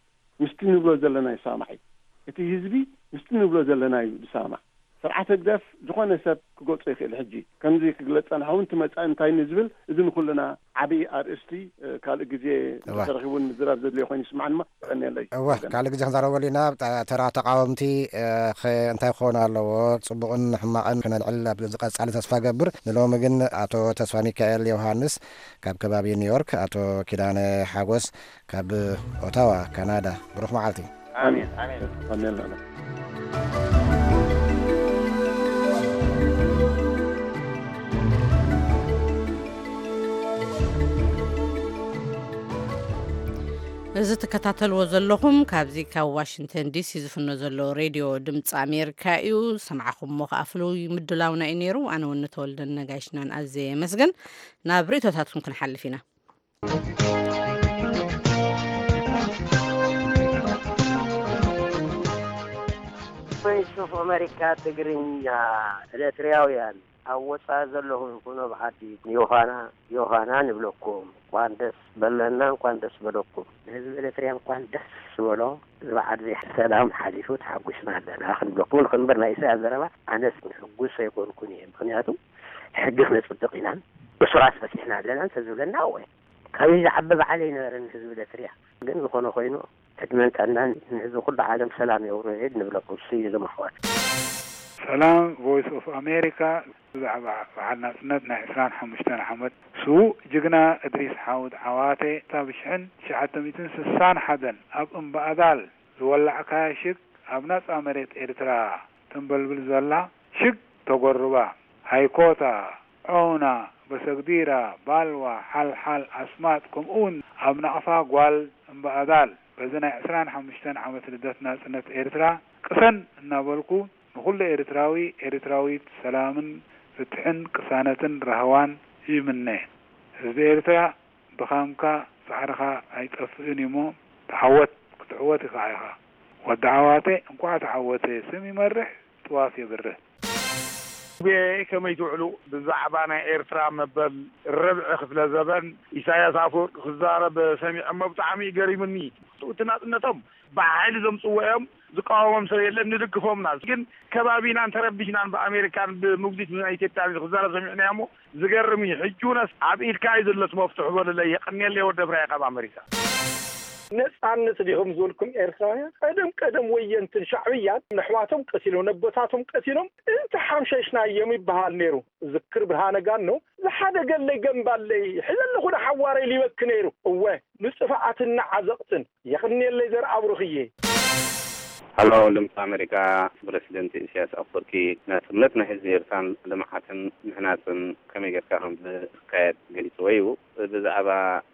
ምስቲ ንብሎ ዘለና ይሰማማዕ እዩ። እቲ ህዝቢ ምስቲ ንብሎ ዘለና እዩ ዝሰማማዕ። ስርዓት ህግደፍ ዝኾነ ሰብ ክገልጾ ይኽእል። ሕጂ ከምዚ ክግለጽ ጸንሐ እውን እቲ መጻኢ እንታይ ንዝብል፣ እዚ ንኹልና ዓብዪ ኣርእስቲ፣ እ፣ ካልእ ግዜ እዋ። እንተተረኺቡ እውን ምዝራብ ዘድልዮ ኮይኑ ይስምዓኒ እሞ፣ የቐንየለይ። እዋ፣ ካልእ ግዜ ክንዛረበሉ ኢና። ተ-፣ ተራ ተቃወምቲ፣ እ፣ ኸ-፣ እንታይ ክኾኑ ኣለዎ? ጽቡቕን ሕማቕን ክነልዕል ኣብ ዝቐጻሊ ተስፋ ገብር። ንሎሚ ግን ኣቶ ተስፋ ሚካኤል ዮሃንስ ካብ ከባቢ ኒውዮርክ፣ ኣቶ ኪዳነ ሓጎስ ካብ ኦታዋ ካናዳ፣ ብሩኽ መዓልቲ። ኣሜን፣ ኣሜን። ኣሜን፣ ኣሜን። እዚ ትከታተልዎ ዘለኹም ካብዚ ካብ ዋሽንግተን ዲሲ ዝፍኖ ዘሎ ሬድዮ ድምፂ ኣሜሪካ እዩ። ሰማዕኹምሞ ከኣ ፍሉይ ምድላውና እዩ ነይሩ። ኣነ ወኒ ተወልደን ነጋይሽናን ኣዝየ የመስግን። ናብ ርእይቶታትኩም ክንሓልፍ ኢና። ቮይስ ኦፍ ኣሜሪካ ትግርኛ፣ ኤርትራውያን ኣብ ወጻኢ ዘለኹም ይኹኑ ኣብ ዓዲ፣ ዮሃና፣ ዮሃና ንብለኩም። እንኳን ደስ በለና፣ እንኳን ደስ በለኩም። ንህዝቢ ኤርትራ እንኳን ደስ ዝበሎ፣ እዚ በዓል እዚ ሰላም ሓሊፉ ተሓጒስና ኣለና ክንብለኩም ንኽንበር፣ ናይ ኢሳያስ ዘረባ ኣነስ ሕጉስ ኣይኮንኩን እየ። ምኽንያቱ ሕጊ ክነጽድቕ ኢና፣ እሱራት ፈቲሕና ኣለና እንተዝብለና፣ እወ፣ ካብዚ ዝዓቢ በዓል ኣይነበረን ህዝቢ ኤርትራ። ግን ዝኾነ ኮይኑ፣ ዕድመን ጥዕናን ንህዝቢ ኩሉ ዓለም ሰላም የውርድ ንብለኩም። ስዩ ዝመኽወት። ሰላም ቮይስ ኦፍ ኣሜሪካ፣ ብዛዕባ በዓል ናጽነት ናይ ዕስራን ሓሙሽተን ዓመት ስዉእ ጅግና እድሪስ ሓውድ ዓዋተ፣ እታ ብሽሕን ትሽዓተ ሚእትን ስሳን ሓደን ኣብ እምባኣዳል ዝወላዕካያ ሽግ ኣብ ናጻ መሬት ኤርትራ ተንበልብል ዘላ ሽግ ተጎርባ፣ ሃይኮታ፣ ዖና፣ ሰግዲራ፣ ባልዋ፣ ሓልሓል፣ ኣስማጥ፣ ከምኡውን ኣብ ናቕፋ ጓል እምበኣዳል፣ በዚ ናይ ዕስራን ሓሙሽተን ዓመት ልደት ናጽነት ኤርትራ ቅሰን እናበልኩ፣ ንኹሉ ኤርትራዊ፣ ኤርትራዊት ሰላምን ፍትሕን ቅሳነትን ራህዋን ይምነ። ህዝቢ ኤርትራ ድኻምካ ጻዕርኻ ኣይጠፍእን እዩሞ፣ ተዓወት፣ ክትዕወት ኢኻ ኢኻ። ወዲ ዓዋተ እንቋዕ ተዓወተ፣ ስም ይመርሕ፣ ጥዋፍ የብርህ። ጉባኤ ከመይ ትውዕሉ? ብዛዕባ ናይ ኤርትራ መበል ርብዒ ክፍለ ዘበን ኢሳያስ ኣፈወርቂ ክዛረብ ሰሚዐሞ ብጣዕሚ እዩ ገሪሙኒ። እቲ ናጽነቶም ብሓይሊ ዘምጽዎ እዮም። ዝቃወሞም ሰብ የለን፣ ንድግፎምና። ግን ከባቢናን ተረቢሽናን ብኣሜሪካን ብምጉዲት ናይ ኢትዮጵያን ክዛረብ ሰሚዕናዮ እሞ ዝገርም እዩ። ሕጂ እውነስ ኣብ ኢድካ እዩ ዘሎስ መፍትሑ በሉለይ። የቐንየለይ ወዲ ብራይ ካብ ኣሜሪካ። ነጻነት ዲኹም ዝበልኩም ኤርትራውያን፣ ቀደም ቀደም ወየንትን ሻዕብያን ነሕዋቶም ቀቲሎም፣ ነቦታቶም ቀቲሎም፣ እንተ ሓምሸሽናዮም ይበሃል ነይሩ። ዝክር ብርሃነ ጋኖ ዝሓደገለይ ገምባለይ፣ ሕዚ ኣለኹ ንሓዋረይ ሊበኪ ነይሩ። እወ፣ ንጥፍኣትን ንዓዘቕትን። የቕንየለይ ዘርኣብሩኽዬ። ሃሎ፣ ድምፂ ኣሜሪካ። ፕረሲደንት ኢሳያስ ኣፈወርቂ ናፅነት ናይ ህዝቢ ኤርትራን ልምዓትን ምህናፅን ከመይ ጌርካ ከም ዝካየድ ገሊፅዎ እዩ። ብዛዕባ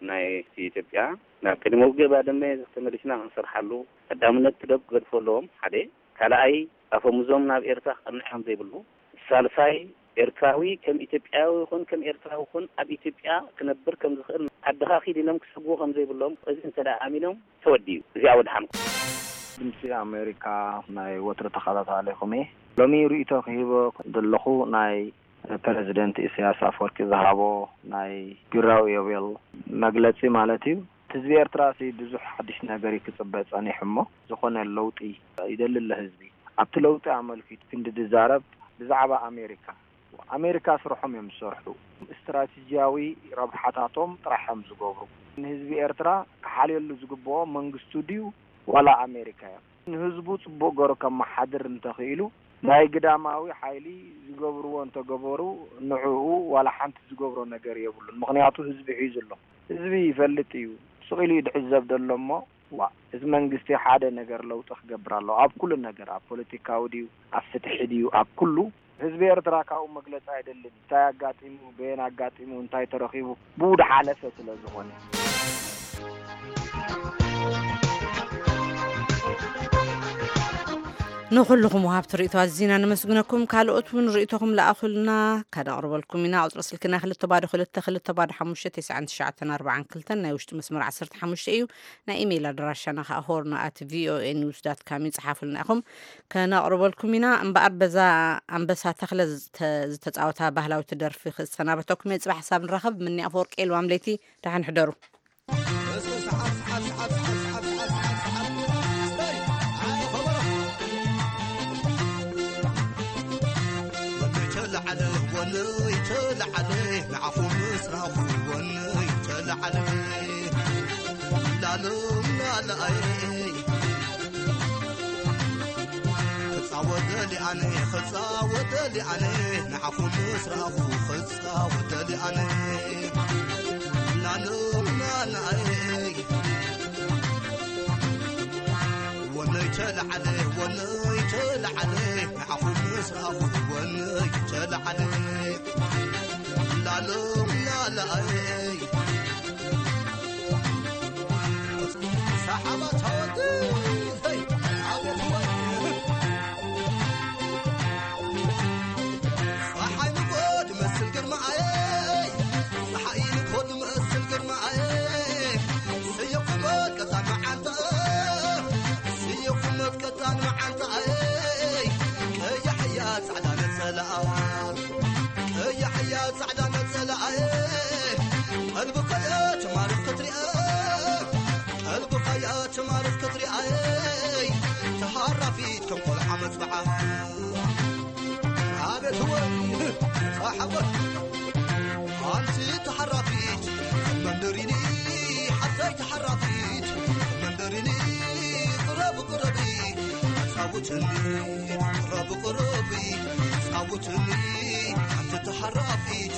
ናይ ኢትዮጵያ፣ ናብ ቅድሚ ውግእ ባድመ ተመሊስና ክንሰርሓሉ ቀዳምነት ክገድፎ ኣለዎም፣ ሓደ። ካልኣይ፣ ኣፈሙዞም ናብ ኤርትራ ክቐንዕ ከም ዘይብሉ፣ ሳልሳይ፣ ኤርትራዊ ከም ኢትዮጵያዊ ይኹን ከም ኤርትራዊ ይኹን ኣብ ኢትዮጵያ ክነብር ከም ዝኽእል፣ ዓድኻ ኪድ ኢሎም ክሰግዎ ከም ዘይብሎም፣ እዚ እንተ ደኣ ኣሚኖም ተወዲኡ። እዚኣ ወድሓንኩም። ድምፂ ኣሜሪካ ናይ ወትሩ ተኸታታሊኹም እየ። ሎሚ ርእይቶ ክህቦ ዘለኹ ናይ ፕረዚደንት ኢሳያስ ኣፈወርቂ ዝሃቦ ናይ ቢራዊ ዮቤል መግለጺ ማለት እዩ። ህዝቢ ኤርትራ ሲ ብዙሕ ሓድሽ ነገር እዩ ክጽበ ጸኒሑ እሞ፣ ዝኾነ ለውጢ ይደሊ ኣሎ ህዝቢ። ኣብቲ ለውጢ ኣመልኪቱ ክንዲ ዝዛረብ ብዛዕባ ኣሜሪካ፣ ኣሜሪካ ስርሖም እዮም ዝሰርሑ። ስትራቴጂያዊ ረብሓታቶም ጥራሕ እዮም ዝገብሩ። ንህዝቢ ኤርትራ ክሓልየሉ ዝግብኦ መንግስቱ ድዩ ዋላ ኣሜሪካ እዮም? ንህዝቡ ጽቡቕ ገይሩ ከመሓድር እንተኽኢሉ፣ ናይ ግዳማዊ ሓይሊ ዝገብርዎ እንተገበሩ፣ ንዕኡ ዋላ ሓንቲ ዝገብሮ ነገር የብሉን። ምኽንያቱ ህዝቢ ሒዙ ኣሎ። ህዝቢ ይፈልጥ እዩ። ስቕ ኢሉ እዩ ድዕዘብ ዘሎ እሞ፣ ዋእ፣ እዚ መንግስቲ ሓደ ነገር ለውጢ ክገብር ኣለዎ። ኣብ ኩሉ ነገር፣ ኣብ ፖለቲካዊ ድዩ፣ ኣብ ፍትሒ ድዩ፣ ኣብ ኩሉ። ህዝቢ ኤርትራ ካብኡ መግለጺ ኣይደልን። እንታይ ኣጋጢሙ፣ በየን ኣጋጢሙ፣ እንታይ ተረኺቡ፣ ብኡ ድሓለፈ ስለ ዝኾነ። ንኹልኹም ወሃብቲ ርእይቶ ኣዚና ነመስግነኩም። ካልኦት እውን ርእይቶኹም ለኣኹልና፣ ከነቕርበልኩም ኢና። ቁጽሪ ስልክና ክልተ ባዶ ክልተ ክልተ ባዶ ሓሙሽተ ተስዓን ትሽዓተን ኣርባዓን ክልተን፣ ናይ ውሽጢ መስመር ዓሰርተ ሓሙሽተ እዩ። ናይ ኢሜይል ኣድራሻና ከኣ ሆርን ኣት ቪኦኤ ኒውስ ዳት ካም እዩ። ጽሓፉልና ኢኹም፣ ከነቕርበልኩም ኢና። እምበኣር በዛ ኣንበሳ ተኽለ ዝተ-፣ ዝተጻወታ ባህላዊት ደርፊ ክሰናበተኩም እየ። ጽባሕ ሓሳብ ንራኸብ። ምኒ ኣፈወርቂ፣ ልዋም ለይቲ፣ ደሓን ሕደሩ። ወነይ ተለዓለ፣ ወነይ ተለዓለ፣ ንዓኹም ምስ ረኣኹ ወነይ ተለዓለ። ላሎ ናላኣየ፣ ክጻወት ደልየ ኣነ፣ ክጻወት ደልየ ኣነ፣ ንዓኹም ምስ ረኣኹ ክጻወት ደልየ ኣነ። ላሎ ናላኣየ፣ ወነይ ተለዓለ፣ ወነይ ተለዓለ፣ ንዓኹም ምስ ረኣኹ ወነይ ተለዓለ። ላሎም ላላኣይ፣ ሰሓባ ተወዲ፣ ሄይ፣ ኣቤት ወይ። ጸሓይ ንግሆ ትመስል ግርማኣየይ፣ ጸሓይ ንግሆ ትመስል ግርማኣየይ፣ ስየ ቁመት ቀጣን መዓንጣ፣ ስየ ቁመት ቀጣን መዓንጣኣየይ፣ ቀያሕ እያ ጻዕዳ ነጸላኣ፣ ቀያሕ እያ ጻዕዳ ነጸላኣየይ፣ ቀልብኻያ ትማርኽ ክትሪኣ፣ ቀልብኻያ ትማርኽ ክትሪኣየይ፣ ተሃራፊት ከም ቆልዓ መጽብዓ። ኣቤት ወይ ጸሓወት ኣንቲ ተሓራፊት መንደሪኒ ሓፍተይ ተሓራፊት መንደሪኒ ቅረብ ቅረቢ ኣጻውትኒ ቅረብ ቅረቢ ኣጻውትኒ ኣንቲ ተሓራፊት